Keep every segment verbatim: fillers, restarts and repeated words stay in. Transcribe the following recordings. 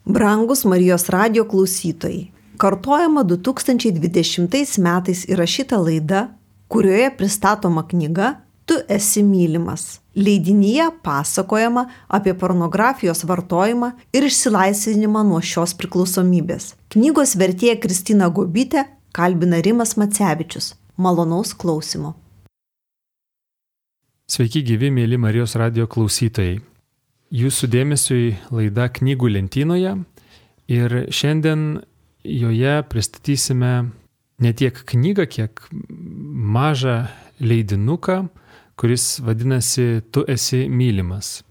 Brangus Marijos radijo klausytojai, kartojama du tūkstančiai dvidešimtais metais įrašyta laida, kurioje pristatoma knyga Tu esi mylimas. Leidinyje pasakojama apie pornografijos vartojimą ir išsilaisvinimą nuo šios priklausomybės. Knygos vertėja Kristina Gobytė kalbina Rimas Macevičius. Malonaus klausimo. Sveiki gyvi, mėly Marijos radijo klausytojai. Jūsų dėmesiui laida Knygų lentynoje ir šiandien joje pristatysime ne tiek knygą, kiek mažą leidinuką, kuris vadinasi Tu esi mylimas.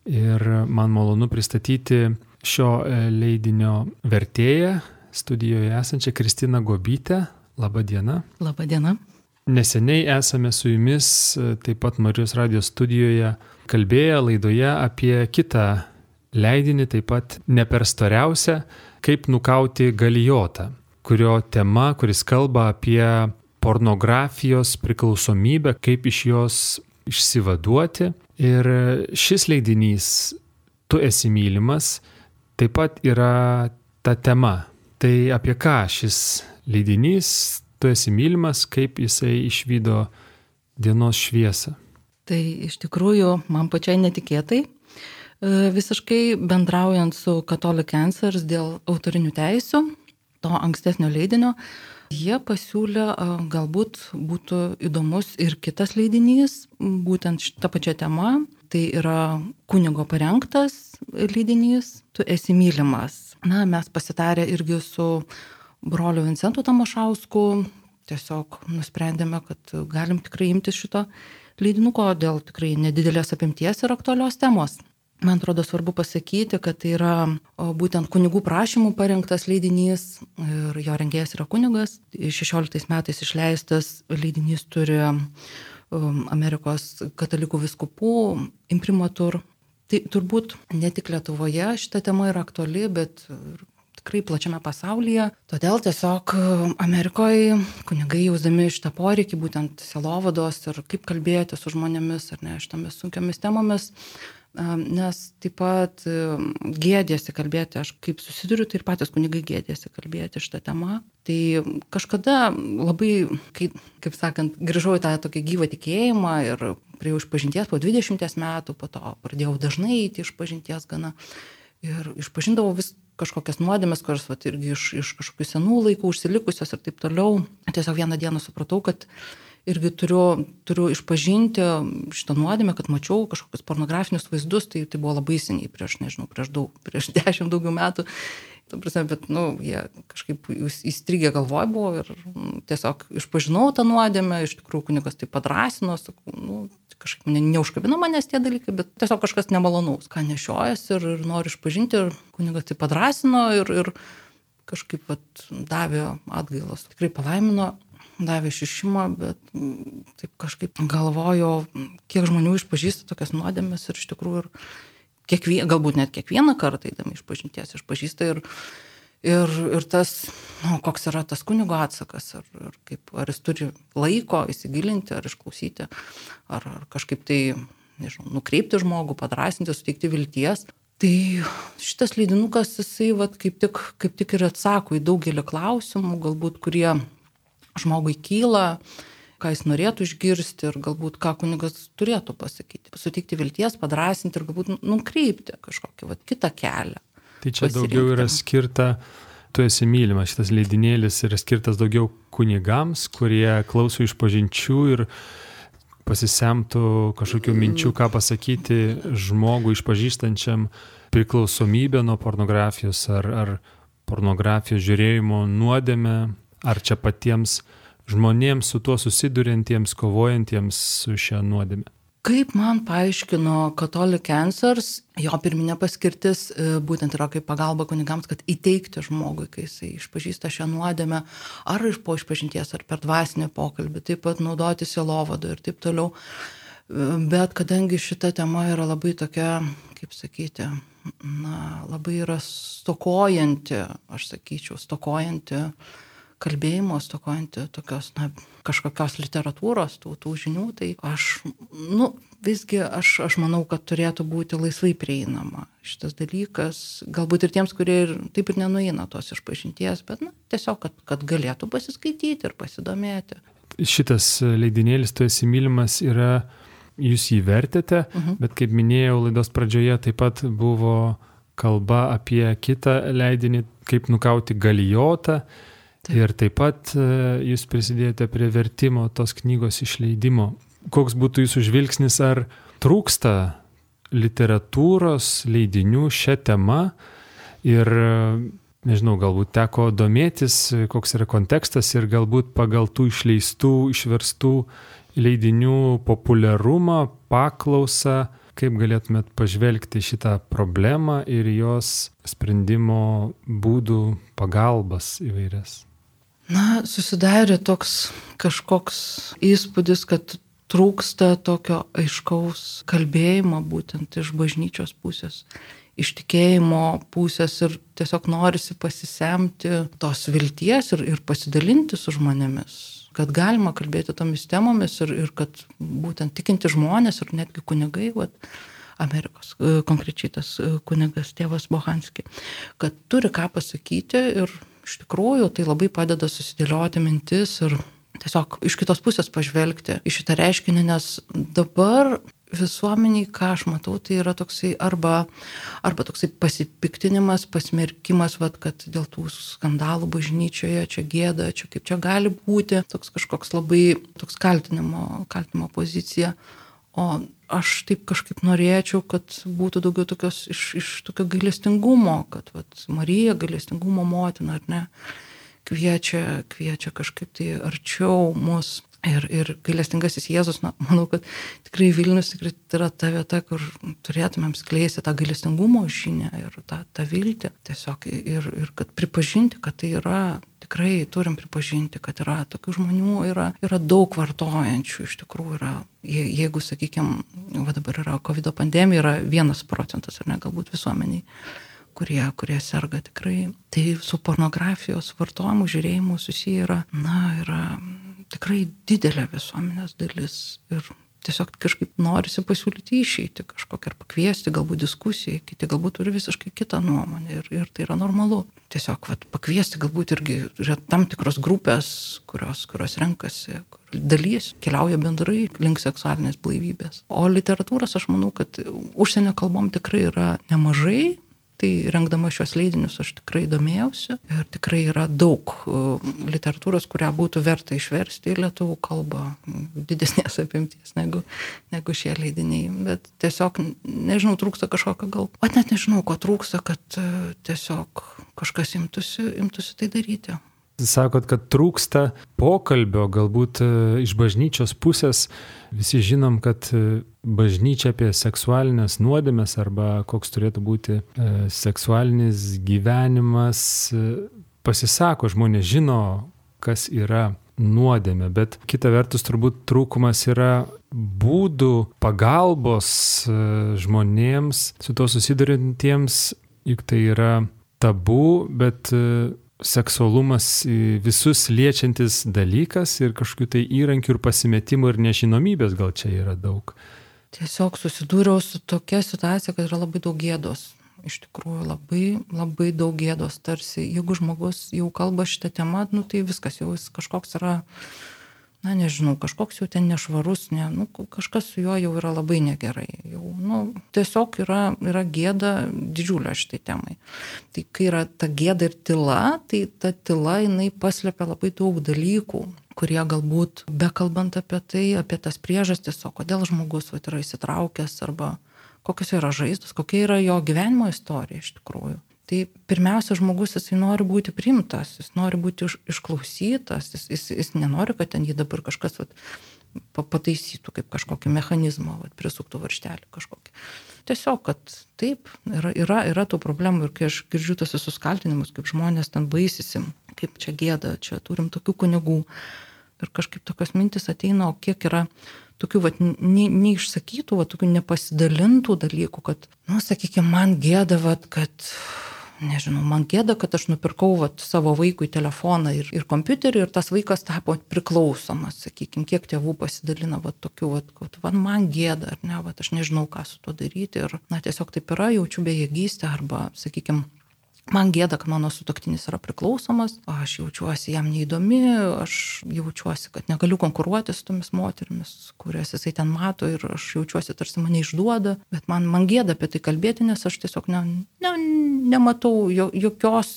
Ir man malonu pristatyti šio leidinio vertėją, studijoje esančią Kristiną Gobytę. Labą dieną. Labą dieną. Neseniai esame su jumis taip pat Marijos radijo studijoje kalbėję laidoje apie kitą leidinį, taip pat ne per storiausią, Kaip nukauti Galijotą, kurio tema, kuris kalba apie pornografijos priklausomybę, kaip iš jos išsivaduoti. Ir šis leidinys Tu esi mylimas taip pat yra ta tema. Tai apie ką šis leidinys Tu esi mylimas, kaip jisai išvydo dienos šviesą? Tai iš tikrųjų man pačiai netikėtai, visiškai bendraujant su Catholic Answers dėl autorinių teisių, to ankstesnio leidinio, jie pasiūlė, galbūt būtų įdomus ir kitas leidinys, būtent šitą pačią temą. Tai yra kunigo parengtas leidinys Tu esi mylimas. Na, mes pasitarę irgi su broliu Vincentu Tamošausku, tiesiog nusprendėme, kad galim tikrai imtis šito leidinuko dėl tikrai nedidelės apimties ir aktualios temos. Man atrodo svarbu pasakyti, kad tai yra būtent kunigų prašymų parengtas leidinys ir jo rengėjas yra kunigas. šešioliktais metais išleistas leidinys turi Amerikos katalikų vyskupų imprimatur. Tai turbūt ne tik Lietuvoje šita tema yra aktuali, bet tikrai plačiame pasaulyje. Todėl tiesiog Amerikoje kunigai jausdami šitą poreikį, būtent sielovados ir kaip kalbėti su žmonėmis ar ne šitomis sunkiomis temomis, nes taip pat gėdėsi kalbėti, aš kaip susiduriu, tai ir patys kunigai gėdėsi kalbėti šitą temą. Tai kažkada labai, kaip, kaip sakant, grįžau į tą tokį gyvą tikėjimą ir prie išpažinties po dvidešimties metų, po to pradėjau dažnai eiti išpažinties gana ir išpažindavau vis kažkokias nuodėmes, kurios vat, irgi iš, iš kažkokių senų laikų užsilikusios ir taip toliau. Tiesiog vieną dieną supratau, kad irgi turiu, turiu išpažinti šitą nuodėmę, kad mačiau kažkokius pornografinius vaizdus, tai, tai buvo labai seniai, prieš, nežinau, prieš daug, prieš dešimt daugiau metų. Ta prasme, bet, nu, jie kažkaip įstrigę galvoj buvo ir tiesiog išpažinau tą nuodėmę, iš tikrųjų kunigas tai padrasino, sakau, nu, kažkaip ne, neužkabino manęs tie dalykai, bet tiesiog kažkas nemalonaus, ką nešiojas ir, ir noriu išpažinti, ir kunigas tai padrasino ir, ir kažkaip vat, davė atgailos, tikrai palaimino. Davė šišimą, bet taip kažkaip galvoju, kiek žmonių išpažįsta tokias nuodėmes ir iš tikrųjų ir kiekvien, galbūt net kiekvieną kartą įdami išpažinties išpažįsta ir, ir, ir tas, nu, koks yra tas kunigo atsakas, ar, ar, kaip, ar jis turi laiko įsigilinti, ar išklausyti, ar, ar kažkaip tai, nežinau, nukreipti žmogų, padrasinti, suteikti vilties. Tai šitas leidinukas, jisai vat, kaip, tik, kaip tik ir atsako į daugelį klausimų, galbūt kurie žmogui kyla, ką jis norėtų išgirsti ir galbūt ką kunigas turėtų pasakyti. Suteikti vilties, padrasinti ir galbūt nukreipti kažkokį vat, kitą kelią. Tai čia daugiau yra skirta, Tu esi mylimas, šitas leidinėlis yra skirtas daugiau kunigams, kurie klauso išpažinčių ir pasisemtų kažkokių minčių, ką pasakyti žmogui išpažįstančiam priklausomybę nuo pornografijos ar, ar pornografijos žiūrėjimo nuodėmę. Ar čia patiems žmonėms su tuo susiduriantiems, kovojantiems su šia nuodėme? Kaip man paaiškino Catholic Answers, jo pirminė paskirtis būtent yra kaip pagalba kunigams, kad įteikti žmogui, kai jisai išpažįsta šią nuodėmę, ar iš po išpažinties, ar per dvasinį pokalbį, taip pat naudoti sielovadą ir taip toliau. Bet kadangi šita tema yra labai tokia, kaip sakyti, na, labai yra stokojanti, aš sakyčiau, stokojanti kalbėjimo, stokojanti tokios, na, kažkokios literatūros, tų, tų žinių, tai aš, nu, visgi aš, aš manau, kad turėtų būti laisvai prieinama šitas dalykas, galbūt ir tiems, kurie ir, taip ir nenueina tos išpažinties, bet, na, tiesiog, kad, kad galėtų pasiskaityti ir pasidomėti. Šitas leidinėlis Tu esi mylimas yra, jūs jį vertėte, uh-huh. bet kaip minėjau laidos pradžioje, taip pat buvo kalba apie kitą leidinį, kaip nukauti Galijotą. Taip. Ir taip pat jūs prisidėjote prie vertimo tos knygos išleidimo. Koks būtų jūsų žvilgsnis, ar trūksta literatūros leidinių šią temą ir, nežinau, galbūt teko domėtis, koks yra kontekstas ir galbūt pagal tų išleistų, išverstų leidinių populiarumą, paklausą, kaip galėtumėt pažvelgti šitą problemą ir jos sprendimo būdų pagalbas įvairias? Na, susidarė toks kažkoks įspūdis, kad trūksta tokio aiškaus kalbėjimo būtent iš bažnyčios pusės, iš tikėjimo pusės ir tiesiog norisi pasisemti tos vilties ir, ir pasidalinti su žmonėmis, kad galima kalbėti tomis temomis ir, ir kad būtent tikinti žmonės ir netgi kunigai, vat, Amerikos, konkrečiai tas kunigas tėvas Bohanski, kad turi ką pasakyti ir iš tikrųjų tai labai padeda susidėlioti mintis ir tiesiog iš kitos pusės pažvelgti į šitą reiškinį, nes dabar visuomeniai, ką aš matau, tai yra toksai arba, arba toksai pasipiktinimas, pasmerkimas, vat, kad dėl tų skandalų bažnyčioje čia gėda, čia kaip čia gali būti, toks kažkoks labai toks kaltinimo, kaltinimo pozicija. O aš taip kažkaip norėčiau, kad būtų daugiau tokios iš, iš tokio gailestingumo, kad vat, Marija gailestingumo motina, ar ne, kviečia, kviečia kažkaip tai arčiau mus. Ir, ir gailestingasis Jėzus, na, manau, kad tikrai Vilnius tikrai yra ta vieta, kur turėtumėm skleisti tą gailestingumo žinią ir tą, tą viltį. Tiesiog ir, ir kad pripažinti, kad tai yra, tikrai turim pripažinti, kad yra tokių žmonių, yra, yra daug vartojančių, iš tikrųjų yra, je, jeigu, sakykime, va dabar yra COVID pandemija, yra vienas procentas, ar ne, galbūt visuomeniai, kurie, kurie serga tikrai. Tai su pornografijos vartojimu, žiūrėjimu susiję yra, na, yra tikrai didelė visuomenės dalis ir tiesiog kažkaip norisi pasiūlyti išeiti kažkokią ar pakviesti, galbūt diskusijai, kiti galbūt turi visiškai kitą nuomonę ir, ir tai yra normalu. Tiesiog vat, pakviesti galbūt irgi yra tam tikros grupės, kurios, kurios renkasi, kur dalys keliauja bendrai link seksualinės blaivybės. O literatūros aš manau, kad užsienio kalbom tikrai yra nemažai. Tai rengdama šios leidinius aš tikrai domėjausi ir tikrai yra daug literatūros, kurią būtų verta išversti į lietuvių kalbą, didesnės apimties negu, negu šie leidiniai. Bet tiesiog, nežinau, trūksta kažkokio gal, o net nežinau, ko trūksta, kad tiesiog kažkas imtųsi, imtųsi tai daryti. Sakot, kad trūksta pokalbio, galbūt iš bažnyčios pusės. Visi žinom, kad bažnyčia apie seksualinės nuodėmes arba koks turėtų būti seksualinis gyvenimas pasisako, žmonės žino, kas yra nuodėmė, bet kita vertus turbūt trūkumas yra būdų pagalbos žmonėms, su to susidurintiems, juk tai yra tabu, bet seksualumas visus liečiantis dalykas ir kažkokių tai įrankių ir pasimetimų ir nežinomybės gal čia yra daug. Tiesiog susidūriau su tokia situacija, kad yra labai daug gėdos. Iš tikrųjų labai, labai daug gėdos. Tarsi, jeigu žmogus jau kalba šitą temą, nu, tai viskas jau jis kažkoks yra, na nežinau, kažkoks jau ten nešvarus, ne, nu, kažkas su juo jau yra labai negerai. Jau, nu, tiesiog yra, yra gėda didžiulė šitai temai. Tai kai yra ta gėda ir tyla, tai ta tyla jinai paslepia labai daug dalykų, kurie galbūt, bekalbant apie tai, apie tas priežastis, o kodėl žmogus vat, yra įsitraukęs arba kokios yra žaizdos, kokia yra jo gyvenimo istorija iš tikrųjų. Tai pirmiausia, žmogus jisai nori būti priimtas, jis nori būti iš, išklausytas, jis, jis, jis nenori, kad ten jį dabar kažkas vat, pataisytų kaip kažkokį mechanizmą, vat, prisuktų varžtelį kažkokį. Tiesiog, kad taip, yra, yra, yra tų problemų ir kai aš girdžiu tos visus kaltinimus, kaip žmonės ten baisisi, kaip čia gėda, čia turim tokių kunigų ir kažkaip tokios mintis ateina, o kiek yra tokių vat, ne, neišsakytų, vat, tokių nepasidalintų dalykų, kad, nu, sakykime, man gėda, vat, kad nežinau, man gėda, kad aš nupirkau vat, savo vaikui telefoną ir, ir kompiuterį ir tas vaikas tapo priklausomas, sakykime, kiek tėvų pasidalina vat, tokiu, vat, kad vat, man gėda, ar ne, vat, aš nežinau, ką su tuo daryti ir, na, tiesiog taip yra, jaučiu bejėgystę arba, sakykime, man gėda, kad mano sutuoktinis yra priklausomas, aš jaučiuosi jam neįdomi, aš jaučiuosi, kad negaliu konkuruoti su tomis moterimis, kurias jisai ten mato ir aš jaučiuosi tarsi mane išduoda, bet man, man gėda apie tai kalbėti, nes aš tiesiog ne, ne, nematau jo, jokios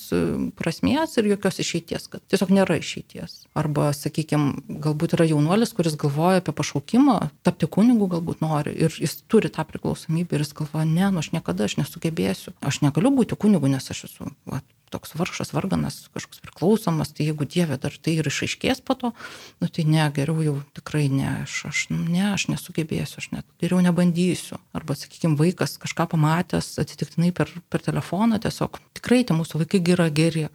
prasmės ir jokios išeities, kad tiesiog nėra išeities. Arba, sakykime, galbūt yra jaunuolis, kuris galvoja apie pašaukimą, tapti kunigu galbūt nori ir jis turi tą priklausomybę ir jis galvoja, ne, nu aš niekada aš nesugebėsiu, aš negaliu būti kunigu, nes aš esu va, toks vargšas, varganas, kažkoks priklausomas, tai jeigu Dieve dar tai ir išaiškės po to, nu tai ne, geriau jau tikrai ne, aš, aš, ne, aš nesugebėsiu, aš net geriau nebandysiu. Arba, sakykime, vaikas kažką pamatęs atsitiktinai per, per telefoną, tiesiog tikrai tie mūsų vaikai yra geri,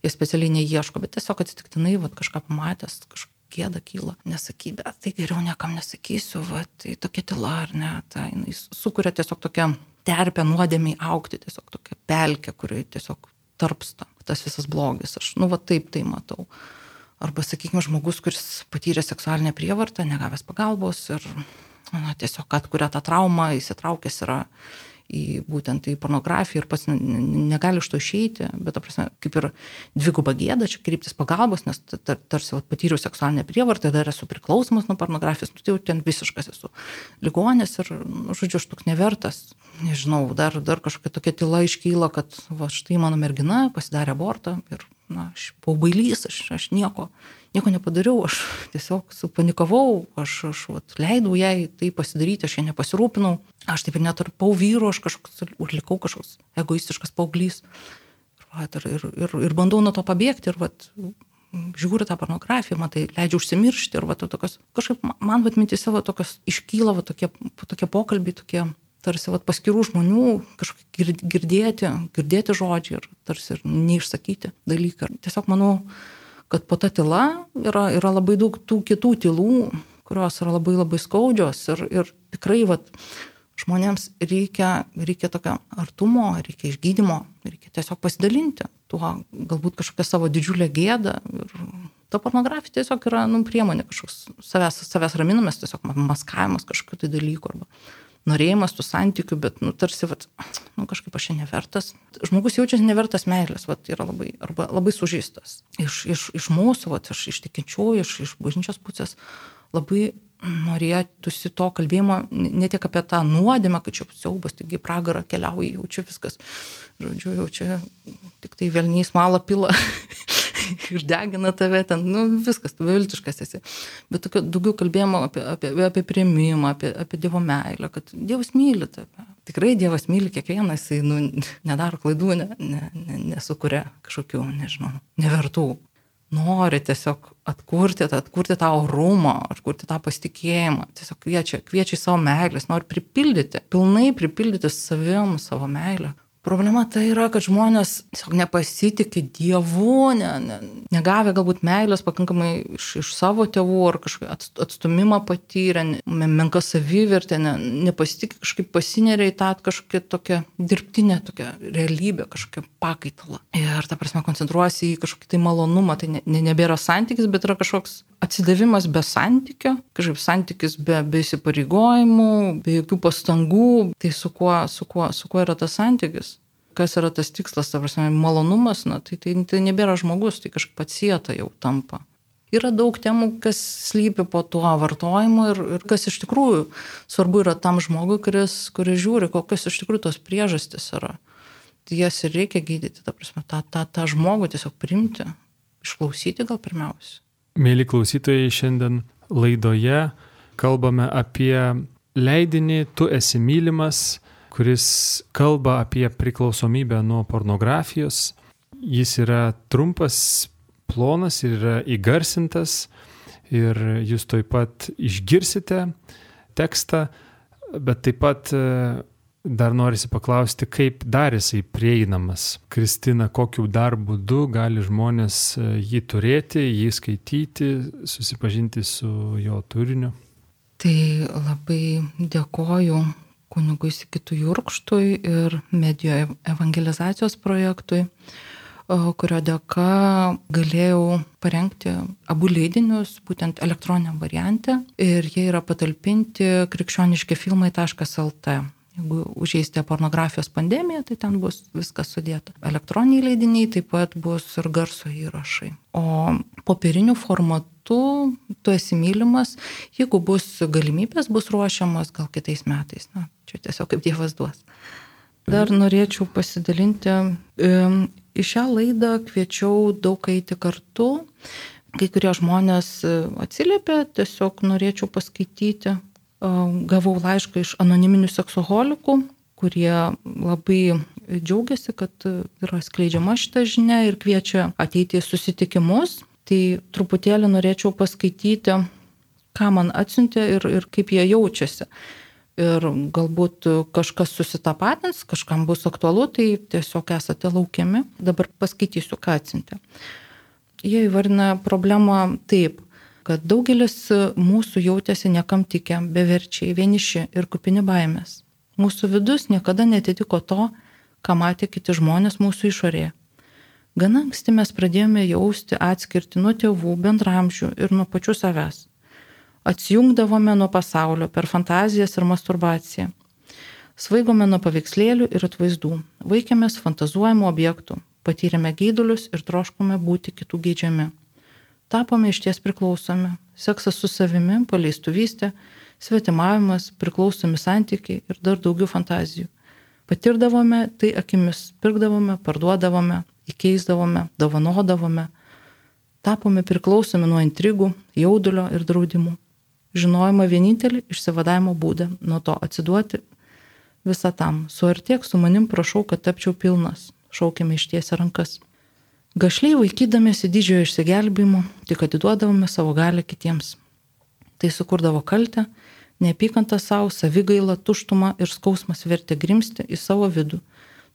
jie specialiai neieško, bet tiesiog atsitiktinai va, kažką pamatęs, kažką gėda kyla, nesakyti, bet tai geriau niekam nesakysiu, va, tai tokia tyla ar ne, tai jis sukuria tiesiog tokią terpę nuodėmiai augti, tiesiog tokia pelkė, kuri tiesiog tarpsta tas visas blogis. Aš, nu, va taip tai matau. Arba, sakykime, žmogus, kuris patyrė seksualinę prievartą, negavęs pagalbos ir na, tiesiog atkuria tą traumą, įsitraukęs yra į būtent į pornografiją ir pats negali iš to išeiti, bet, ta prasme, kaip ir dviguba gėda čia kreiptis pagalbos, nes tar, tarsi vat, patyriau seksualinę prievartą, dar esu priklausomas nuo pornografijos, nu, tai jau ten visiškas esu ligonis ir, nu, žodžiu, aš toks nevertas, nežinau, dar, dar kažkokia tokia tyla iškyla, kad va, štai mano mergina pasidarė abortą ir, na, aš buvau bailys, aš, aš nieko, nieko nepadariau, aš tiesiog supanikavau, aš, aš vat, leidau jai tai pasidaryti, aš ją nepasirūpinau, aš taip ir netarpau vyru, aš kažkoks, likau kažkoks egoistiškas paauglys ir, ir, ir, ir bandau nuo to pabėgti ir vat, žiūri tą pornografiją, man tai leidžia užsimiršti ir vat, tokios, kažkaip man vat, mintise vat, tokios iškyla vat, tokie, tokie pokalbiai, tokie tarsi vat, paskirų žmonių kažkokie girdėti, girdėti žodžiai ir tarsi ir neišsakyti dalykai. Tiesiog manau, kad po ta tyla yra, yra labai daug tų kitų tylų, kurios yra labai labai skaudžios ir, ir tikrai vat, žmonėms reikia, reikia tokio artumo, reikia išgydymo, reikia tiesiog pasidalinti tuo, galbūt kažkokią savo didžiulę gėdą. Ir ta pornografija tiesiog yra nu, priemonė kažkoks savęs, savęs raminimas, tiesiog maskavimas kažkokių tai dalykų arba norėjimas tų santykių, bet nu, tarsi vat, nu, kažkaip aš nevertas. Žmogus jaučiasi nevertas meilės, vat, yra labai, arba labai sužeistas. Iš, iš, iš mūsų, vat, iš, iš tikinčiųjų, iš, iš bažnyčios pusės labai norėtųsi to kalbėjimo ne tik apie tą nuodėmę, kad čia siaubas, taigi pragarą keliauja, jau čia viskas, žodžiu, jau čia tik tai velniais malą pila ir degina tave ten, nu viskas, tu beviltiškas esi. Bet tokio daugiau kalbėjimo apie, apie, apie priėmimą, apie, apie Dievo meilę, kad Dievas myli tave. Tikrai Dievas myli kiekvieną, jisai nu, nedaro klaidų, ne, ne, ne, nesukuria kažkokių, nežinau, nevertų. Nori tiesiog atkurti, atkurti tą orumą, atkurti tą pasitikėjimą, tiesiog kviečia, kviečia į savo meilės, nori pripildyti, pilnai pripildyti savim savo meilę. Problema tai yra, kad žmonės tiesiog nepasitikė Dievu, ne, ne, negavę galbūt meilės pakankamai iš, iš savo tėvų ar kažkokį atstumimą patyrę, menką savivertę, ne, nepasitikė kažkaip pasineria į tą kažkokią tokią dirbtinę tokią realybę, kažkokią pakaitalą. Ir ta prasme koncentruojasi į kažkokį tai malonumą, tai ne, ne, nebėra santykis, bet yra kažkoks atsidavimas be santykio, kažkaip santykis be, be įsipareigojimų, be jokių pastangų, tai su kuo, su kuo, su kuo yra tas santykis? Kas yra tas tikslas, ta prasme, malonumas, na, tai, tai, tai nebėra žmogus, tai kažkaip atsieta jau tampa. Yra daug temų, kas slypi po tuo vartojimu ir, ir kas iš tikrųjų svarbu yra tam žmogui, kuris, kuris žiūri, kokios iš tikrųjų tos priežastys yra. Tai jas ir reikia gydyti, ta prasme, tą, tą, tą žmogų tiesiog priimti, išklausyti gal pirmiausia. Mėly klausytojai, šiandien laidoje kalbame apie leidinį Tu esi mylimas, kuris kalba apie priklausomybę nuo pornografijos. Jis yra trumpas, plonas ir yra įgarsintas ir jūs taip pat išgirsite tekstą, bet taip pat dar norisi paklausti, kaip dar jisai prieinamas. Kristina, kokiu dar būdu gali žmonės jį turėti, jį skaityti, susipažinti su jo turiniu? Tai labai dėkoju kunigui Sigitui Jurkštui ir medijų evangelizacijos projektui, kurio dėka galėjau parengti abu leidinius, būtent elektroniniam variante, ir jie yra patalpinti krikščioniški filmai taškas el tė. Jeigu užeisite pornografijos pandemiją, tai ten bus viskas sudėta. Elektroniniai leidiniai taip pat bus ir garso įrašai. O popieriniu formatu Tu esi mylimas, jeigu bus galimybės, bus ruošiamas gal kitais metais. Na, čia tiesiog kaip Dievas duos. Dar norėčiau pasidalinti. Į šią laidą kviečiau daug eiti kartu. Kai kurie žmonės atsiliepė, tiesiog norėčiau paskaityti. Gavau laišką iš anoniminių seksoholikų, kurie labai džiaugiasi, kad yra skleidžiama šita žinia ir kviečia ateiti į susitikimus. Tai truputėlį norėčiau paskaityti, ką man atsiuntė ir, ir kaip jie jaučiasi. Ir galbūt kažkas susitapatins, kažkam bus aktualu, tai tiesiog esate laukiami. Dabar paskaitysiu, ką atsiuntė. Jie įvardina problemą taip, kad daugelis mūsų jautėsi niekam tikę, beverčiai, vieniši ir kupini baimės. Mūsų vidus niekada netitiko to, ką matė kiti žmonės mūsų išorėje. Gana anksti mes pradėjome jausti atskirti nuo tėvų, bendramžių ir nuo pačių savęs. Atsijungdavome nuo pasaulio per fantazijas ir masturbaciją. Svaigome nuo paveikslėlių ir atvaizdų, vaikėmės fantazuojamų objektų, patyrėme geidulius ir troškome būti kitų geidžiami. Tapome išties priklausomi, seksas su savimi, paleistuvystė, svetimavimas, priklausomi santykiai ir dar daugiau fantazijų. Patirdavome tai akimis, pirkdavome, parduodavome, įkeisdavome, dovanodavome. Tapome priklausomi nuo intrigų, jaudulio ir draudimų. Žinojome vienintelį išsivadavimo būdą, nuo to atsiduoti visą tam. Suartėk su manim, prašau, kad tapčiau pilnas, šaukėme ištiesę rankas. Gašliai vaikydamėsi didžiojo išsigelbėjimo, tik atiduodavome savo galią kitiems. Tai sukurdavo kaltę, neapykantą savo, savigailą, tuštumą ir skausmas vertė grimsti į savo vidų,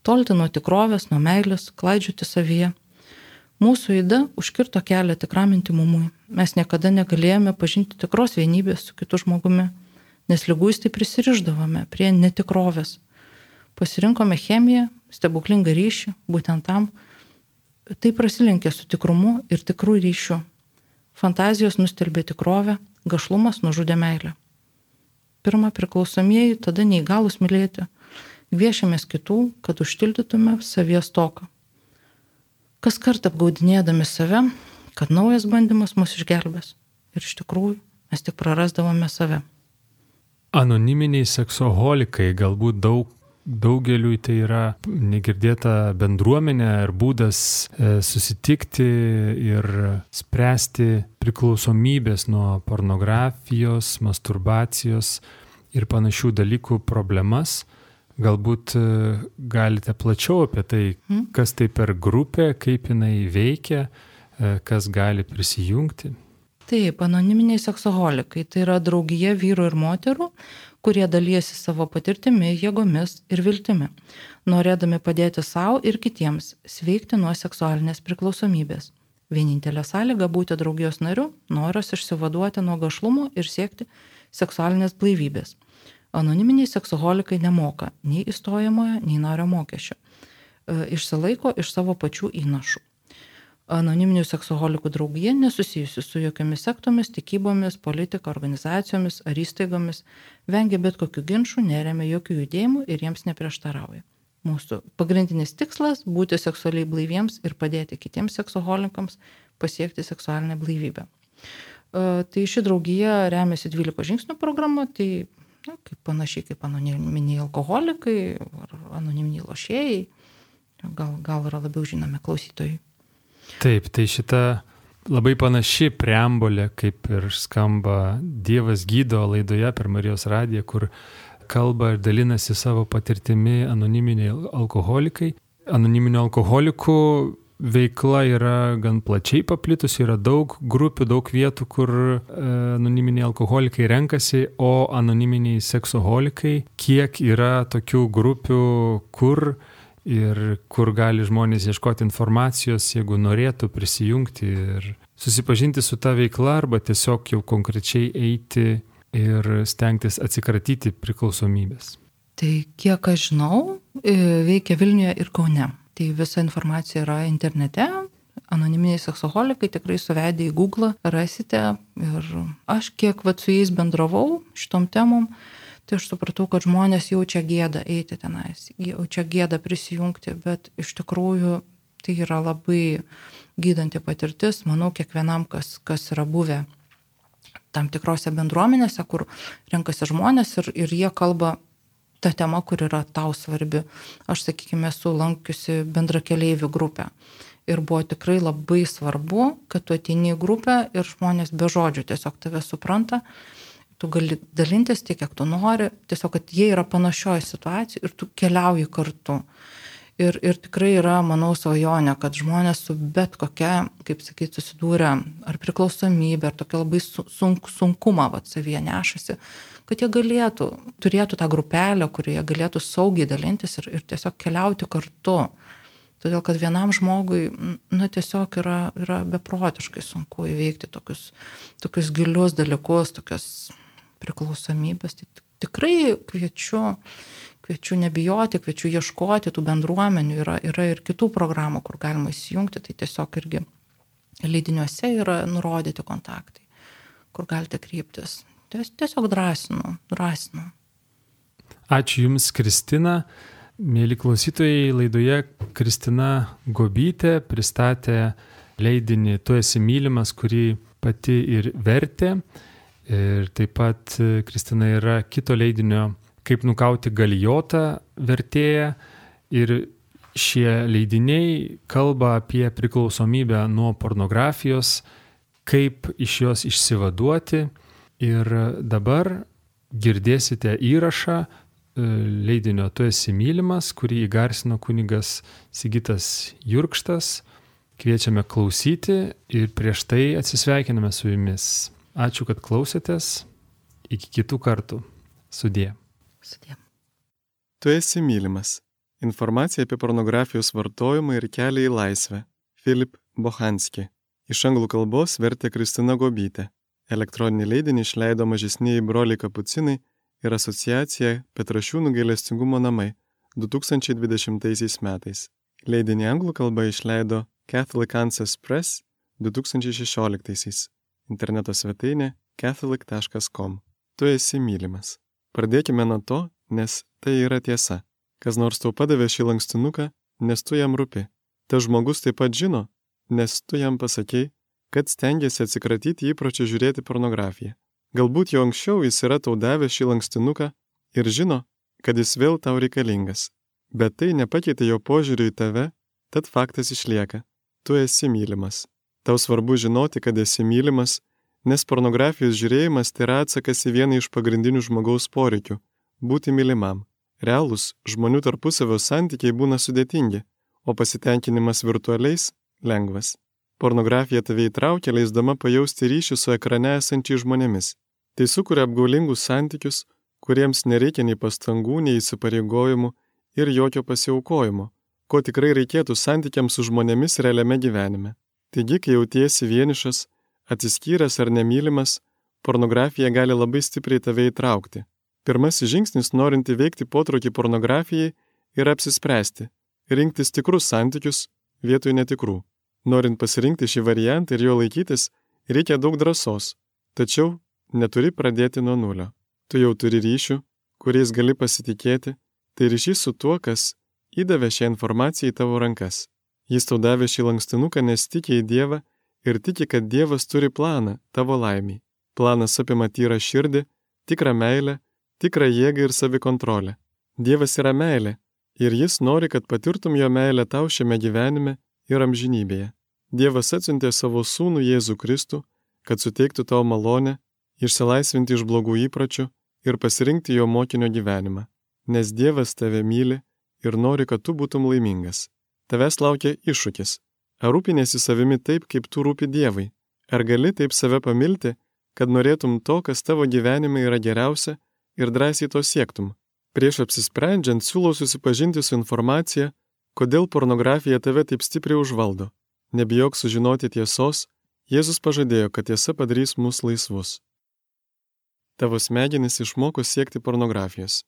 tolti nuo tikrovės, nuo meilės, klaidžioti savyje. Mūsų ida užkirto kelią tikram intymumui. Mes niekada negalėjome pažinti tikros vienybės su kitu žmogumi, nes liguistai prisirišdavome prie netikrovės. Pasirinkome chemiją, stebuklingą ryšį, būtent tam, tai prasilenkė su tikrumu ir tikrų ryšių. Fantazijos nustelbė tikrovę, gašlumas nužudė meilę. Pirma, priklausomieji, tada neįgalus mylėti. Gviešėmės kitų, kad užtildytume savyje stoką. Kas kart apgaudinėdami save, kad naujas bandymas mus išgelbės. Ir iš tikrųjų mes tik prarasdavome save. Anoniminiai seksoholikai galbūt daug Daugeliui tai yra negirdėta bendruomenė ir būdas susitikti ir spręsti priklausomybės nuo pornografijos, masturbacijos ir panašių dalykų problemas. Galbūt galite plačiau apie tai, kas tai per grupė, kaip jinai veikia, kas gali prisijungti. Taip, anoniminiai seksoholikai tai yra draugija vyrų ir moterų, kurie dalyjasi savo patirtimi, jėgomis ir viltimi, norėdami padėti savo ir kitiems sveikti nuo seksualinės priklausomybės. Vienintelė sąlyga būti draugijos nariu, noras išsivaduoti nuo gašlumo ir siekti seksualinės blaivybės. Anoniminiai seksoholikai nemoka nei įstojamojo, nei nario mokesčio. Išsilaiko iš savo pačių įnašų. Anoniminių seksoholikų draugija nesusijusi su jokiomis sektomis, tikybomis, politika, organizacijomis ar įstaigomis, vengia bet kokių ginčų, neremia jokių judėjimų ir jiems neprieštarauja. Mūsų pagrindinis tikslas – būti seksualiai blaiviems ir padėti kitiems seksoholikams pasiekti seksualinę blaivybę. Tai ši draugija remiasi dvylikos žingsnių programa, tai na, kaip panašiai kaip anoniminiai alkoholikai ar anoniminiai lošėjai, gal, gal yra labiau žinomi klausytojai. Taip, tai šita labai panaši preambulė, kaip ir skamba Dievas gydo laidoje per Marijos radiją, kur kalba ir dalinasi savo patirtimi anoniminiai alkoholikai. Anoniminių alkoholikų veikla yra gan plačiai paplitusi, yra daug grupių, daug vietų, kur anoniminiai alkoholikai renkasi, o anoniminiai seksoholikai, kiek yra tokių grupių, kur ir kur gali žmonės ieškoti informacijos, jeigu norėtų prisijungti ir susipažinti su ta veikla arba tiesiog jau konkrečiai eiti ir stengtis atsikratyti priklausomybės. Tai kiek aš žinau, veikia Vilniuje ir Kaune. Tai visa informacija yra internete. Anoniminiai seksoholikai tikrai suvedę į Google rasite. Ir aš kiek vat, su jais bendravau šitom temom, tai aš supratau, kad žmonės jaučia gėdą eiti tenais, jaučia gėdą prisijungti, bet iš tikrųjų tai yra labai gydanti patirtis. Manau, kiekvienam, kas, kas yra buvę tam tikrose bendruomenėse, kur renkasi žmonės ir, ir jie kalba ta tema, kur yra tau svarbi. Aš, sakykime, esu lankiusi bendrakeleivių grupę. Ir buvo tikrai labai svarbu, kad tu ateini į grupę ir žmonės be žodžių tiesiog tave supranta. Tu gali dalintis tiek, kiek tu nori. Tiesiog, kad jie yra panašioje situacijoje ir tu keliauji kartu. Ir, ir tikrai yra, manau, svajonė, kad žmonės su bet kokia, kaip sakyti, susidūrė ar priklausomybė, ar tokia labai sunk, sunkumą vat, savyje nešasi, kad jie galėtų, turėtų tą grupelę, kurioje galėtų saugiai dalintis ir, ir tiesiog keliauti kartu. Todėl, kad vienam žmogui, na, tiesiog yra, yra beprotiškai sunku įveikti tokius, tokius gilius dalykus, tokias priklausomybės. Tai tikrai kviečiu, kviečiu nebijoti, kviečiu ieškoti tų bendruomenių. Yra, yra ir kitų programų, kur galima įsijungti, tai tiesiog irgi leidiniuose yra nurodyti kontaktai, kur galite kreiptis. Tiesiog drąsinu, drąsinu. Ačiū Jums, Kristina. Mėly klausytojai, laidoje Kristina Gobytė pristatė leidinį Tu esi mylimas, kurį pati ir vertė. Ir taip pat Kristina yra kito leidinio Kaip nukauti galijotą vertėja. Ir šie leidiniai kalba apie priklausomybę nuo pornografijos, kaip iš jos išsivaduoti. Ir dabar girdėsite įrašą leidinio Tu esi mylimas, kurį įgarsino kunigas Sigitas Jurkštas. Kviečiame klausyti ir prieš tai atsisveikiname su jumis. Ačiū, kad klausėtės. Iki kitų kartų. Sudie. Sudie. Tu esi mylimas. Informacija apie pornografijos vartojimą ir kelią į laisvę. Filip Bochanski. Iš anglų kalbos vertė Kristina Gobytė. Elektroninį leidinį išleido Mažesnieji broliai kapucinai ir asociacija Petrašiūnų gailestingumo namai du tūkstančiai dvidešimtaisiais metais. Leidinį anglų kalba išleido Catholic Answers Press du tūkstančiai šešioliktaisiais. Interneto svetainė catholic taškas com. Tu esi mylimas. Pradėkime nuo to, nes tai yra tiesa. Kas nors tau padavė šį lankstinuką, nes tu jam rūpi. Tas žmogus taip pat žino, nes tu jam pasakei, kad stengiasi atsikratyti įpročio žiūrėti pornografiją. Galbūt jau anksčiau jis yra tau davęs šį lankstinuką ir žino, kad jis vėl tau reikalingas. Bet tai nepakeitė jo požiūrį į tave, tad faktas išlieka. Tu esi mylimas. Tau svarbu žinoti, kad esi mylimas, nes pornografijos žiūrėjimas tai yra atsakas į vieną iš pagrindinių žmogaus poreikių – būti mylimam. Realūs žmonių tarpusavio santykiai būna sudėtingi, o pasitenkinimas virtualiais – lengvas. Pornografija tave įtraukia, leisdama pajausti ryšį su ekrane esančiais žmonėmis. Tai sukuria apgaulingus santykius, kuriems nereikia nei pastangų, nei įsipareigojimų ir jokio pasiaukojimo, ko tikrai reikėtų santykiams su žmonėmis realiame gyvenime. Taigi, kai jautiesi vienišas, atsiskyręs ar nemylimas, pornografija gali labai stipriai tave įtraukti. Pirmasis žingsnis, norint įveikti potraukį pornografijai, yra apsispręsti, rinktis tikrus santykius vietoj netikrų. Norint pasirinkti šį variantą ir jo laikytis, reikia daug drąsos, tačiau neturi pradėti nuo nulio. Tu jau turi ryšių, kuriais gali pasitikėti, tai ryšys su tuo, kas įdavė šią informaciją į tavo rankas. Jis tau davė šį lankstinuką, nes tiki į Dievą ir tiki, kad Dievas turi planą tavo laimiai. Planas apima tyrą širdį, tikrą meilę, tikrą jėgą ir savikontrolę. Dievas yra meilė ir jis nori, kad patirtum jo meilę tau šiame gyvenime ir amžinybėje. Dievas atsiuntė savo sūnų Jėzų Kristų, kad suteiktų tau malonę, išsilaisvinti iš blogų įpročių ir pasirinkti jo mokinio gyvenimą. Nes Dievas tave myli ir nori, kad tu būtum laimingas. Tavęs laukia iššūkis. Ar rūpinėsi savimi taip, kaip tu rūpi Dievui? Ar gali taip save pamilti, kad norėtum to, kas tavo gyvenime yra geriausia ir drąsiai to siektum? Prieš apsisprendžiant siūlau susipažinti su informacija, kodėl pornografija tave taip stipriai užvaldo. Nebijok sužinoti tiesos, Jėzus pažadėjo, kad tiesa padarys mus laisvus. Tavo smegenys išmoko siekti pornografijos.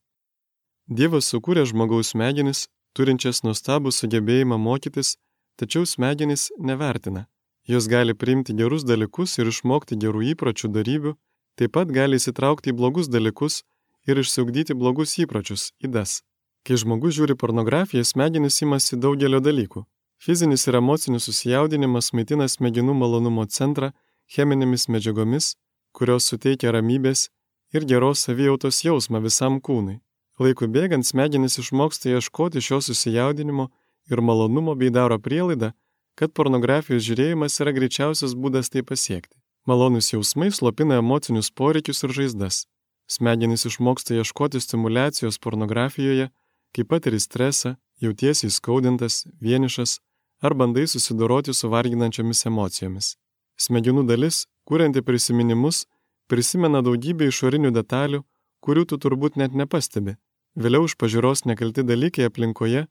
Dievas sukūrė žmogaus smegenis, turinčias nuostabų sugebėjimą mokytis, tačiau smegenys nevertina. Jos gali priimti gerus dalykus ir išmokti gerų įpročių darybių, taip pat gali įsitraukti į blogus dalykus ir išsiugdyti blogus įpročius, ydas. Kai žmogus žiūri pornografiją, smegenys imasi daugelio dalykų. Fizinis ir emocinis susijaudinimas maitina smegenų malonumo centrą cheminėmis medžiagomis, kurios suteikia ramybės ir geros savijautos jausmą visam kūnui. Laikui bėgant smegenys išmoksta ieškoti šio susijaudinimo ir malonumo bei daro prielaidą, kad pornografijos žiūrėjimas yra greičiausias būdas tai pasiekti. Malonus jausmai slopina emocinius poreikius ir žaizdas. Smegenys išmoksta ieškoti stimulacijos pornografijoje, kai patiri stresą, jautiesi įskaudintas, vienišas ar bandai susidoroti su varginančiomis emocijomis. Smegenų dalis, kurianti prisiminimus, prisimena daugybę išorinių detalių, kurių tu turbūt net nepastebi. Vėliau iš pažiūros nekalti dalykai aplinkoje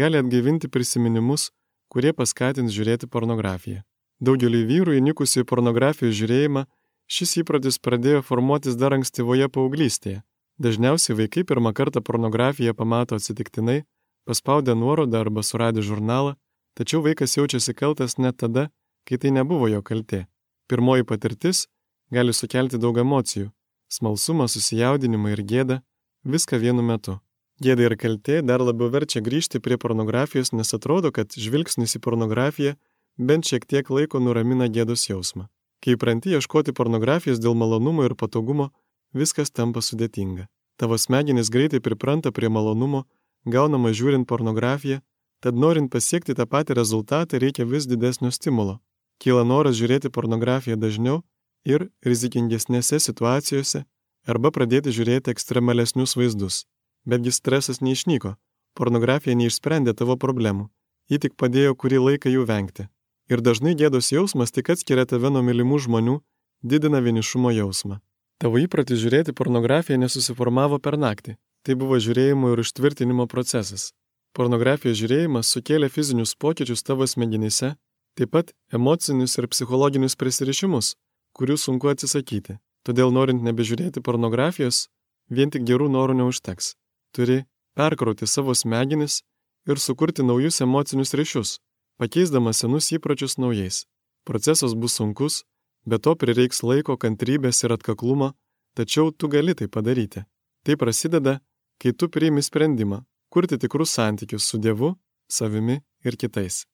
gali atgaivinti prisiminimus, kurie paskatins žiūrėti pornografiją. Daugeliui vyrų įnikusių į pornografijos žiūrėjimą šis įprotis pradėjo formuotis dar ankstyvoje paauglystėje. Dažniausiai vaikai pirmą kartą pornografiją pamato atsitiktinai, paspaudę nuorodą arba suradę žurnalą, tačiau vaikas jaučiasi kaltas net tada, kai tai nebuvo jo kaltė. Pirmoji patirtis gali sukelti daug emocijų – smalsumą, susijaudinimą ir gėdą, viską vienu metu. Gėda ir kaltė dar labiau verčia grįžti prie pornografijos, nes atrodo, kad žvilgsnis į pornografiją bent šiek tiek laiko nuramina gėdos jausmą. Kai įpranti ieškoti pornografijos dėl malonumo ir patogumo, viskas tampa sudėtinga. Tavo smegenys greitai pripranta prie malonumo, gaunama žiūrint pornografiją, tad norint pasiekti tą patį rezultatą reikia vis didesnio stimulo. Kyla noras žiūrėti pornografiją dažniau ir rizikingesnėse situacijose arba pradėti žiūrėti ekstremalesnius vaizdus. Betgi stresas neišnyko, pornografija neišsprendė tavo problemų, ji tik padėjo kurį laiką jų vengti. Ir dažnai gėdos jausmas tik atskiria tave nuo mylimų žmonių, didina vienišumo jausmą. Tavo įprotis žiūrėti pornografiją nesusiformavo per naktį, tai buvo žiūrėjimo ir užtvirtinimo procesas. Pornografijos žiūrėjimas sukėlė fizinius pokyčius tavo smegenyse, taip pat emocinius ir psichologinius prisirišimus, kurių sunku atsisakyti. Todėl norint nebežiūrėti pornografijos, vien tik gerų norų neužteks. Turi perkrauti savo smegenis ir sukurti naujus emocinius ryšius, pakeisdamas senus įpročius naujais. Procesas bus sunkus, bet to prireiks laiko, kantrybės ir atkaklumo, tačiau tu gali tai padaryti. Tai prasideda, kai tu priimi sprendimą kurti tikrus santykius su Dievu, savimi ir kitais.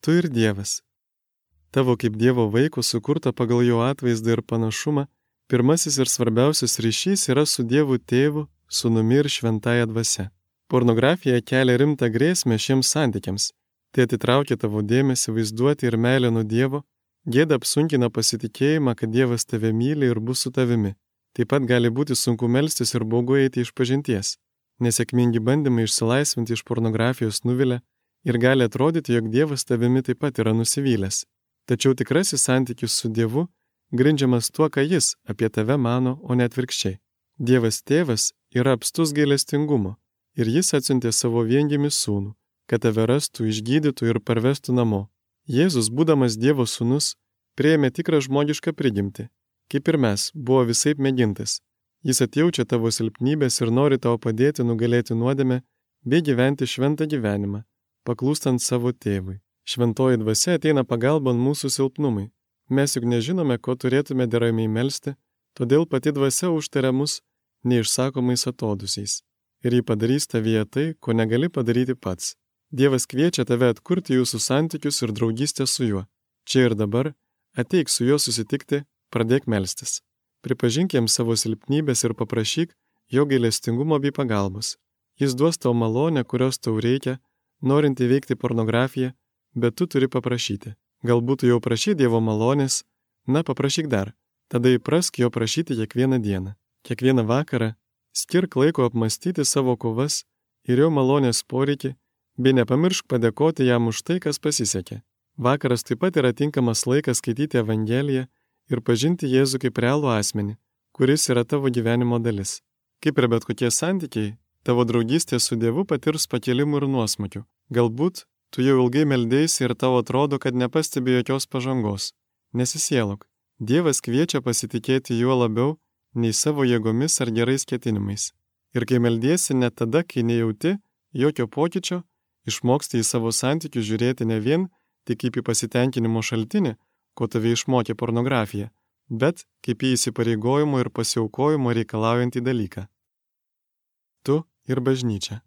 Tu ir Dievas. Tavo kaip Dievo vaiko sukurta pagal jo atvaizdą ir panašumą, pirmasis ir svarbiausias ryšys yra su Dievu Tėvu, Sūnumi ir Šventąja Dvasia. Pornografija kelia rimtą grėsmę šiems santykiams. Tai atitraukia tavo dėmesį, vaizduoti ir meilę nuo Dievo, gėda apsunkina pasitikėjimą, kad Dievas tave myli ir bus su tavimi. Taip pat gali būti sunku melstis ir baugu eiti iš pažinties. Nesėkmingi bandymai išsilaisvinti iš pornografijos nuvilia ir gali atrodyti, jog Dievas tavimi taip pat yra nusivylęs. Tačiau tikrasis santykis su Dievu grindžiamas tuo, ką Jis apie tave mano, o ne atvirkščiai. Dievas Tėvas yra apstus gailestingumo ir Jis atsiuntė savo viengimį sūnų, kad tave rastų, išgydytų ir parvestų namo. Jėzus, būdamas Dievo sūnus, priėmė tikrą žmogišką prigimtį, kaip ir mes, buvo visaip mėgintas. Jis atjaučia tavo silpnybės ir nori tau padėti nugalėti nuodėmę bei gyventi šventą gyvenimą, paklūstant savo Tėvui. Šventoji Dvasia ateina pagalbon mūsų silpnumai. Mes juk nežinome, ko turėtume deramai melsti, todėl pati Dvasia užtaria mus neišsakomais atodusiais. Ir ji padarys tavyje tai, ko negali padaryti pats. Dievas kviečia tave atkurti jūsų santykius ir draugystę su juo. Čia ir dabar ateik su juo susitikti, pradėk melstis. Pripažink jam savo silpnybės ir paprašyk jo gailestingumo bei pagalbos. Jis duos tau malonę, kurios tau reikia, norint įveikti pornografiją, bet tu turi paprašyti. Galbūt tu jau prašy Dievo malonės, na paprašyk dar. Tada įprask jo prašyti kiekvieną dieną. Kiekvieną vakarą skirk laiko apmastyti savo kovas ir jo malonės poreikį, bei nepamiršk padėkoti jam už tai, kas pasisekė. Vakaras taip pat yra tinkamas laikas skaityti Evangeliją ir pažinti Jėzų kaip realų asmenį, kuris yra tavo gyvenimo dalis. Kaip ir bet kokie santykiai, tavo draugystė su Dievu patirs pakilimų ir nuosmukių. Galbūt tu jau ilgai meldėsi ir tau atrodo, kad nepastebi jokios pažangos. Nesisielok. Dievas kviečia pasitikėti juo labiau nei savo jėgomis ar gerais ketinimais. Ir kai meldiesi net tada, kai nejauti jokio pokyčio, išmoksti į savo santykius žiūrėti ne vien tik kaip į pasitenkinimo šaltinį, ko tave išmokė pornografija, bet kaip į įsipareigojimo ir pasiaukojimo reikalaujantį dalyką. Tu ir bažnyčia.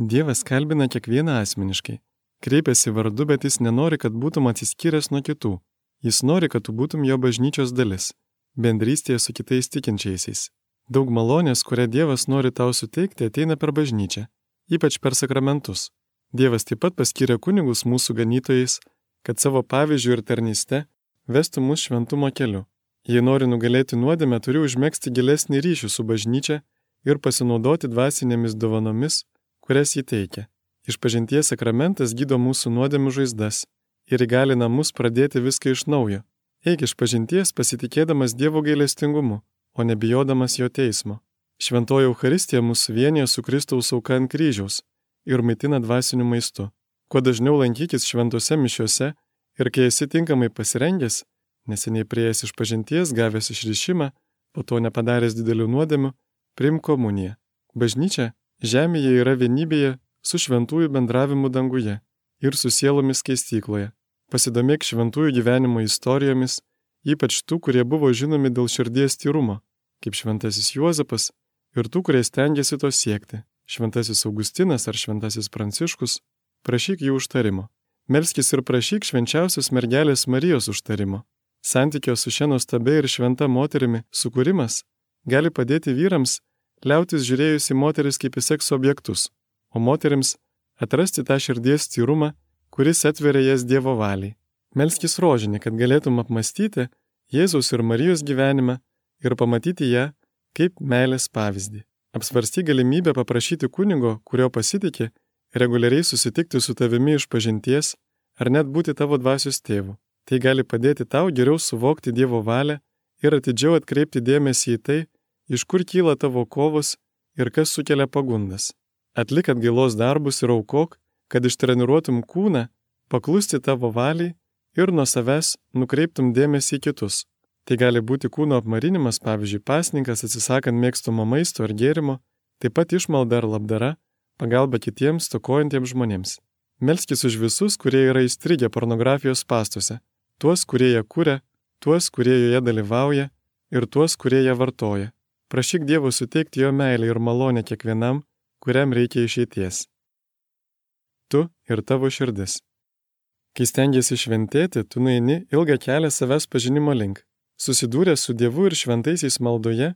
Dievas kalbina kiekvieną asmeniškai. Kreipiasi vardu, bet jis nenori, kad būtum atsiskyręs nuo kitų. Jis nori, kad tu būtum jo bažnyčios dalis, bendrystėje su kitais tikinčiaisiais. Daug malonės, kurią Dievas nori tau suteikti, ateina per bažnyčią, ypač per sakramentus. Dievas taip pat paskyrė kunigus mūsų ganytojais, kad savo pavyzdžių ir tarnyste vestų mus šventumo keliu. Jei nori nugalėti nuodėmę, turi užmegzti gilesnį ryšį su bažnyčia ir pasinaudoti dvasinėmis dovanomis, kurias jį teikia. Išpažinties sakramentas gydo mūsų nuodėmių žaizdas ir įgalina mus pradėti viską iš naujo. Eik išpažinties pasitikėdamas Dievo gailestingumu, o nebijodamas jo teismo. Šventoji Eucharistija mūsų vienyje su Kristaus auka ant kryžiaus ir maitina dvasiniu maistu. Kuo dažniau lankykis šventose mišiose ir kai esi tinkamai pasirengęs, neseniai priėjęs išpažinties, gavęs išrišimą, po to nepadaręs didelių nuodėmių, priimk komuniją. Bažnyčia žemėje yra vienybėje su šventųjų bendravimu danguje ir su sielomis skaistykloje. Pasidomėk šventųjų gyvenimo istorijomis, ypač tų, kurie buvo žinomi dėl širdies tyrumo, kaip šventasis Juozapas, ir tų, kurie stengiasi to siekti, šventasis Augustinas ar šventasis Pranciškus, prašyk jų užtarimo. Melskis ir prašyk švenčiausios mergelės Marijos užtarimo. Santykio su šia nuostabia ir šventa moterimi sukūrimas gali padėti vyrams liautis žiūrėjus į moteris kaip į sekso objektus, o moterims atrasti tą širdies tyrumą, kuris atveria jas Dievo valiai. Melskis rožinį, kad galėtum apmastyti Jėzaus ir Marijos gyvenimą ir pamatyti ją kaip meilės pavyzdį. Apsvarsty galimybę paprašyti kunigo, kurio pasitikė, reguliariai susitikti su tavimi išpažinties ar net būti tavo dvasios tėvu. Tai gali padėti tau geriau suvokti Dievo valią ir atidžiau atkreipti dėmesį į tai, iš kur kyla tavo kovos ir kas sukelia pagundas. Atlik atgailos darbus ir aukok, kad ištreniruotum kūną, paklusti tavo valiai ir nuo savęs nukreiptum dėmesį į kitus. Tai gali būti kūno apmarinimas, pavyzdžiui, pasninkas atsisakant mėgstamo maisto ar gėrimo, taip pat išmalda ar labdara, pagalba kitiems stokojantiems žmonėms. Melskis už visus, kurie yra įstrigę pornografijos spąstuose, tuos, kurie ją kuria, tuos, kurie joje dalyvauja ir tuos, kurie ją vartoja. Prašyk Dievo suteikti jo meilę ir malonę kiekvienam, kuriam reikia išeities. Tu ir tavo širdis. Kai stengiasi šventėti, tu nueini ilgą kelią savęs pažinimo link. Susidūręs su Dievu ir šventaisiais maldoje,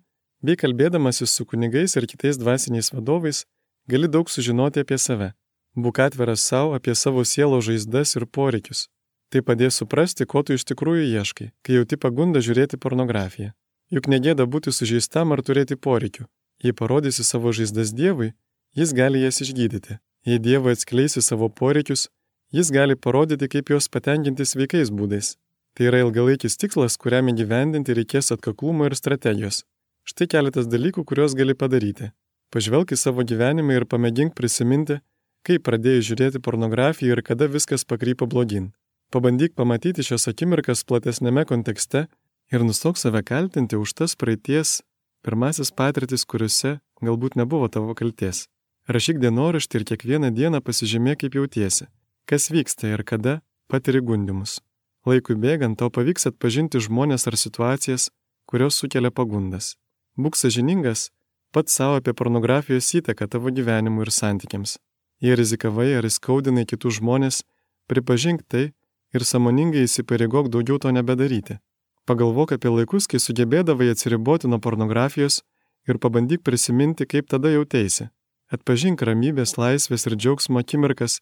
bei kalbėdamasis su kunigais ir kitais dvasiniais vadovais, gali daug sužinoti apie save. Būk atviras savo apie savo sielo žaizdas ir poreikius. Tai padės suprasti, ko tu iš tikrųjų ieškai, kai jauti pagundą žiūrėti pornografiją. Juk negėda būti sužeistam ar turėti poreikių. Jei parodysi savo žaizdas Dievui, jis gali jas išgydyti. Jei Dievui atskleisi savo poreikius, jis gali parodyti, kaip juos patenkinti sveikais būdais. Tai yra ilgalaikis tikslas, kuriam įgyvendinti reikės atkaklumo ir strategijos. Štai keletas dalykų, kuriuos gali padaryti. Pažvelk į savo gyvenimą ir pamėgink prisiminti, kaip pradėjai žiūrėti pornografiją ir kada viskas pakrypo blogyn. Pabandyk pamatyti šios akimirkas platesnėme kontekste ir nustok save kaltinti už tas praeities pirmasis patirtis, kuriuose galbūt nebuvo tavo kaltės. Rašyk dienoraštį ir kiekvieną dieną pasižymėk, kaip jautiesi, kas vyksta ir kada patiri gundymus. Laikui bėgant tau pavyks atpažinti žmonės ar situacijas, kurios sukelia pagundas. Būk sąžiningas pats savo apie pornografijos įtaką tavo gyvenimui ir santykiams. Jei rizikavai ar įskaudinai kitus žmonės, pripažink tai ir sąmoningai įsipareigok daugiau to nebedaryti. Pagalvok apie laikus, kai sugebėdavai atsiriboti nuo pornografijos ir pabandyk prisiminti, kaip tada jauteisi. Atpažink ramybės, laisvės ir džiaugsmo akimirkas,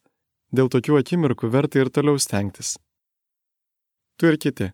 dėl tokių akimirkų verta ir toliau stengtis. Tu ir kiti.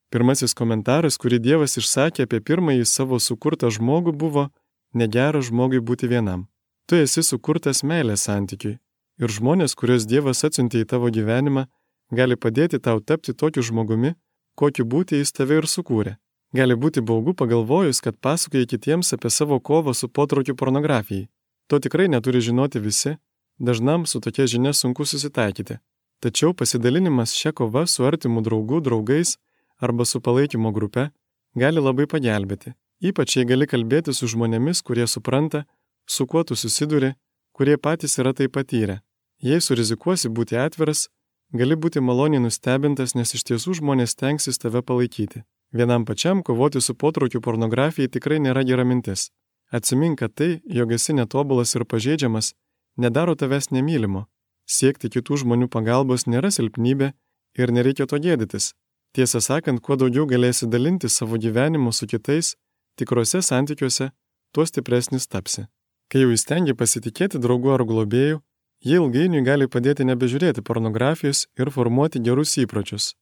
Pirmasis komentaras, kurį Dievas išsakė apie pirmąjį savo sukurtą žmogų, buvo: negera žmogui būti vienam. Tu esi sukurtas meilės santykiui ir žmonės, kuriuos Dievas atsiuntė į tavo gyvenimą, gali padėti tau tapti tokiu žmogumi, kokiu būti jis tave ir sukūrė. Gali būti baugu pagalvojus, kad pasakoji kitiems apie savo kovą su potraukiu pornografijai. To tikrai neturi žinoti visi, dažnam su tokia žinia sunku susitaikyti. Tačiau pasidalinimas šia kova su artimu draugu, draugais arba su palaikymo grupe gali labai pagelbėti. Ypač jei gali kalbėti su žmonėmis, kurie supranta, su kuo tu susiduri, kurie patys yra tai patyrę. Jei surizikuosi būti atviras, gali būti maloniai nustebintas, nes iš tiesų žmonės stengsis tave palaikyti. Vienam pačiam kovoti su potraukiu pornografijai tikrai nėra gera mintis. Atsimink, kad tai, jog esi netobulas ir pažeidžiamas, nedaro tavęs nemylimo. Siekti kitų žmonių pagalbos nėra silpnybė ir nereikia to gėdytis. Tiesą sakant, kuo daugiau galėsi dalinti savo gyvenimu su kitais, tikrose santykiuose, tuo stipresnis tapsi. Kai jau įstengi pasitikėti draugu ar globėju, jie ilgainiui gali padėti nebežiūrėti pornografijos ir formuoti gerus įpročius.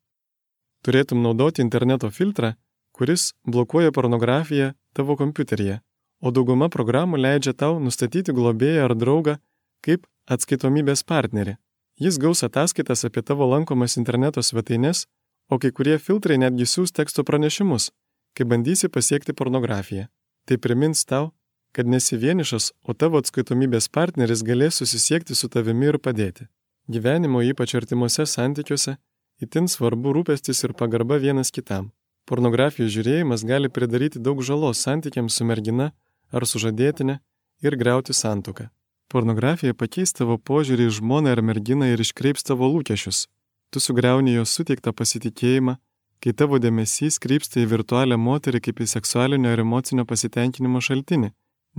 Turėtum naudoti interneto filtrą, kuris blokuoja pornografiją tavo kompiuteryje, o dauguma programų leidžia tau nustatyti globėją ar draugą kaip atskaitomybės partnerį. Jis gaus ataskaitas apie tavo lankomas interneto svetaines, o kai kurie filtrai netgi siūs teksto pranešimus, kai bandysi pasiekti pornografiją. Tai primins tau, kad nesi vienišas, o tavo atskaitomybės partneris galės susisiekti su tavimi ir padėti. Gyvenimo, ypač artimuose santykiuose, itin svarbu rūpestis ir pagarba vienas kitam. Pornografijos žiūrėjimas gali pridaryti daug žalos santykiams su mergina ar sužadėtine ir griauti santuoką. Pornografija pakeis tavo požiūrį į žmoną ar merginą ir iškreips tavo lūkesčius. Tu sugriauni jos suteiktą pasitikėjimą, kai tavo dėmesys krypsta į virtualią moterį kaip į seksualinio ir emocinio pasitenkinimo šaltinį,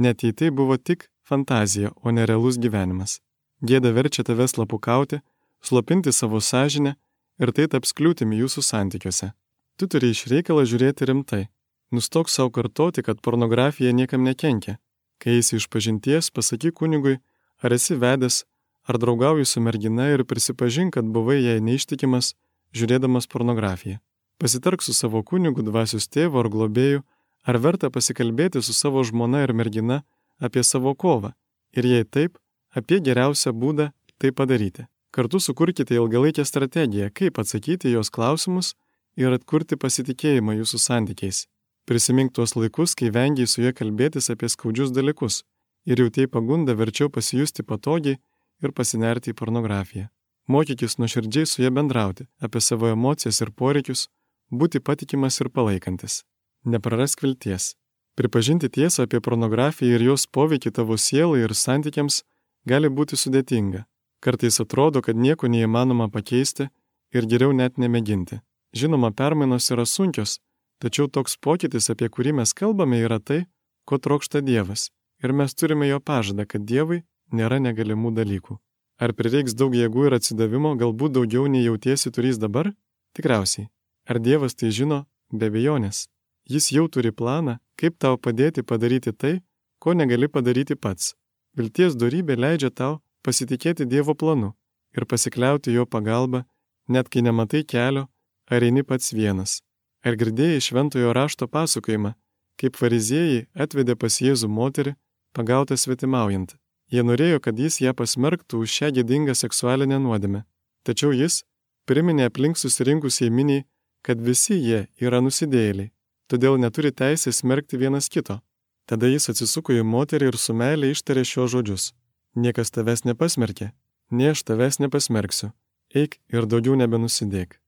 net jei tai buvo tik fantazija, o ne realus gyvenimas. Gėda verčia tave slapukauti, slopinti savo sąžinę ir tai taps kliūtimi jūsų santykiuose. Tu turi iš reikalo žiūrėti rimtai. Nustok savo kartoti, kad pornografija niekam nekenkia. Kai eisi iš pažinties, pasakyk kunigui, ar esi vedęs, ar draugauji su mergina ir prisipažink, kad buvai jai neištikimas, žiūrėdamas pornografiją. Pasitark su savo kunigu, dvasios tėvu ar globėju, ar verta pasikalbėti su savo žmona ir mergina apie savo kovą, ir jei taip, apie geriausią būdą tai padaryti. Kartu sukurkite ilgalaikę strategiją, kaip atsakyti jos klausimus ir atkurti pasitikėjimą jūsų santykiais. Prisimink tuos laikus, kai vengiai su ja kalbėtis apie skaudžius dalykus ir jautėjai pagundą verčiau pasijusti patogiai ir pasinerti į pornografiją. Mokykis nuoširdžiai su ja bendrauti apie savo emocijas ir poreikius, būti patikimas ir palaikantis. Neprarask vilties. Pripažinti tiesą apie pornografiją ir jos poveikį tavo sielai ir santykiams gali būti sudėtinga. Kartais atrodo, kad nieko neįmanoma pakeisti ir geriau net nemėginti. Žinoma, permainos yra sunkios, tačiau toks pokytis, apie kurį mes kalbame, yra tai, ko trokšta Dievas. Ir mes turime jo pažadą, kad Dievui nėra negalimų dalykų. Ar prireiks daug jėgų ir atsidavimo, galbūt daugiau nei jautiesi turys dabar? Tikriausiai. Ar Dievas tai žino? Be abejonės. Jis jau turi planą, kaip tau padėti padaryti tai, ko negali padaryti pats. Vilties dorybė leidžia tau pasitikėti Dievo planu ir pasikliauti jo pagalba, net kai nematai kelio, ar eini pats vienas. Ar girdėjai šventojo rašto pasakojimą, kaip fariziejai atvedė pas Jėzų moterį, pagautą svetimaujant. Jie norėjo, kad jis ją pasmerktų už šią gėdingą seksualinę nuodėmę. Tačiau jis priminė aplink susirinkusiai miniai, kad visi jie yra nusidėjėliai, todėl neturi teisės smerkti vienas kito. Tada jis atsisuko į moterį ir su meile ištarė šios žodžius. Niekas tavęs nepasmerkė, nei aš tavęs nepasmerksiu. Eik ir daugiau nebenusidėk.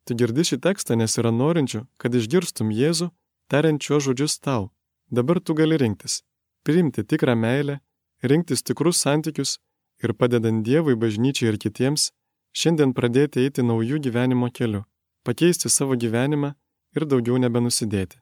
Tu girdi šį tekstą, nes yra norinčių, kad išgirstum Jėzų, tariant šios žodžius tau. Dabar tu gali rinktis. Priimti tikrą meilę, rinktis tikrus santykius ir padedant Dievui, bažnyčiai ir kitiems, šiandien pradėti eiti naujų gyvenimo keliu, pakeisti savo gyvenimą ir daugiau nebenusidėti.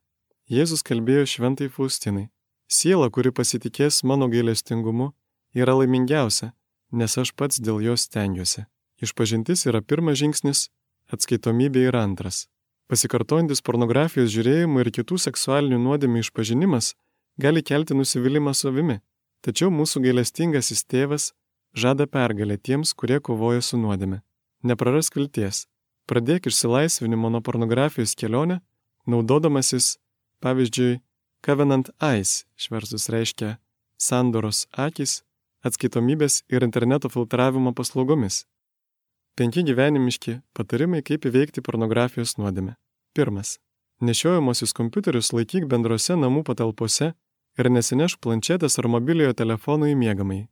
Jėzus kalbėjo šventai Faustinai. Siela, kuri pasitikės mano gailestingumu, yra laimingiausia, nes aš pats dėl jos stengiuosi. Išpažintis yra pirmas žingsnis, atskaitomybė yra antras. Pasikartojantis pornografijos žiūrėjimo ir kitų seksualinių nuodėmių išpažinimas gali kelti nusivylimą savimi, tačiau mūsų gailestingasis tėvas žada pergalę tiems, kurie kovoja su nuodėme. Neprarask vilties. Pradėk išsilaisvinimo nuo pornografijos kelionę, naudodamasis, pavyzdžiui, Covenant Eyes, išversus reiškia sandoros akys, atskaitomybės ir interneto filtravimo paslaugomis. Penki gyvenimiški patarimai, kaip įveikti pornografijos nuodėmę. Pirmas. Nešiojamosius kompiuterius laikyk bendrose namų patalpose ir nesinešk planšetės ar mobiliojo telefono į miegamąjį.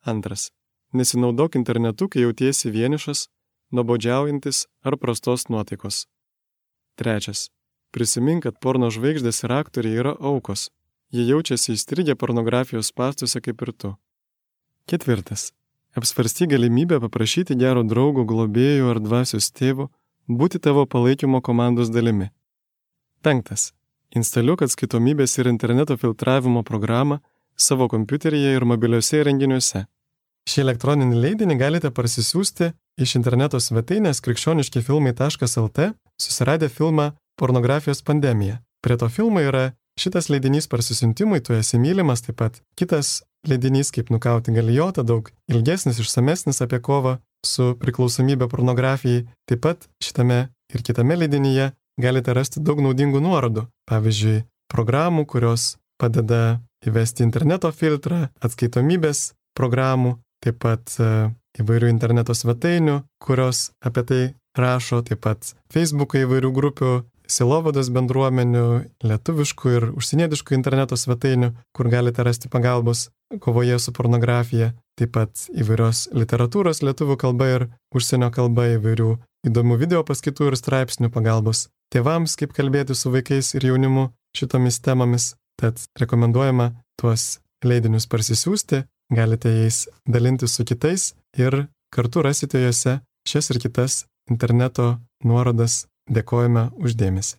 Antras. Nesinaudok internetu, kai jautiesi vienišas, nuobodžiaujantis ar prastos nuotaikos. Trečias. Prisimink, kad porno žvaigždės ir aktoriai yra aukos. Jie jaučiasi įstrigę pornografijos spąstuose kaip ir tu. Ketvirtas. Apsvarsty galimybę paprašyti gero draugo, globėjų ar dvasios tėvo būti tavo palaikymo komandos dalimi. Penktas. Instaliuok atskaitomybės ir interneto filtravimo programą savo kompiuteryje ir mobiliuose įrenginiuose. Šį elektroninį leidinį galite parsisiųsti iš interneto svetainės krikščioniški filmai taškas el te, susiradę filmą Pornografijos pandemija. Prie to filmo yra šitas leidinys parsisiuntimui, tu esi mylimas, taip pat kitas leidinys kaip nukauti galijotą, daug ilgesnis, išsamesnis apie kovą su priklausomybė pornografijai. Taip pat šitame ir kitame leidinyje galite rasti daug naudingų nuorodų. Pavyzdžiui, programų, kurios padeda įvesti interneto filtrą, atskaitomybės programų, taip pat įvairių interneto svetainių, kurios apie tai rašo, taip pat Facebook'o įvairių grupių, sielovados bendruomenių, lietuviškų ir užsienietiškų interneto svetainių, kur galite rasti pagalbos kovoje su pornografija, taip pat įvairios literatūros lietuvių kalba ir užsienio kalba, įvairių įdomių video paskaitų ir straipsnių pagalbos tėvams, kaip kalbėti su vaikais ir jaunimu šitomis temomis. Tad rekomenduojama tuos leidinius parsisiųsti, galite jais dalintis su kitais ir kartu rasite juose šias ir kitas interneto nuorodas. Dėkojame už dėmesį.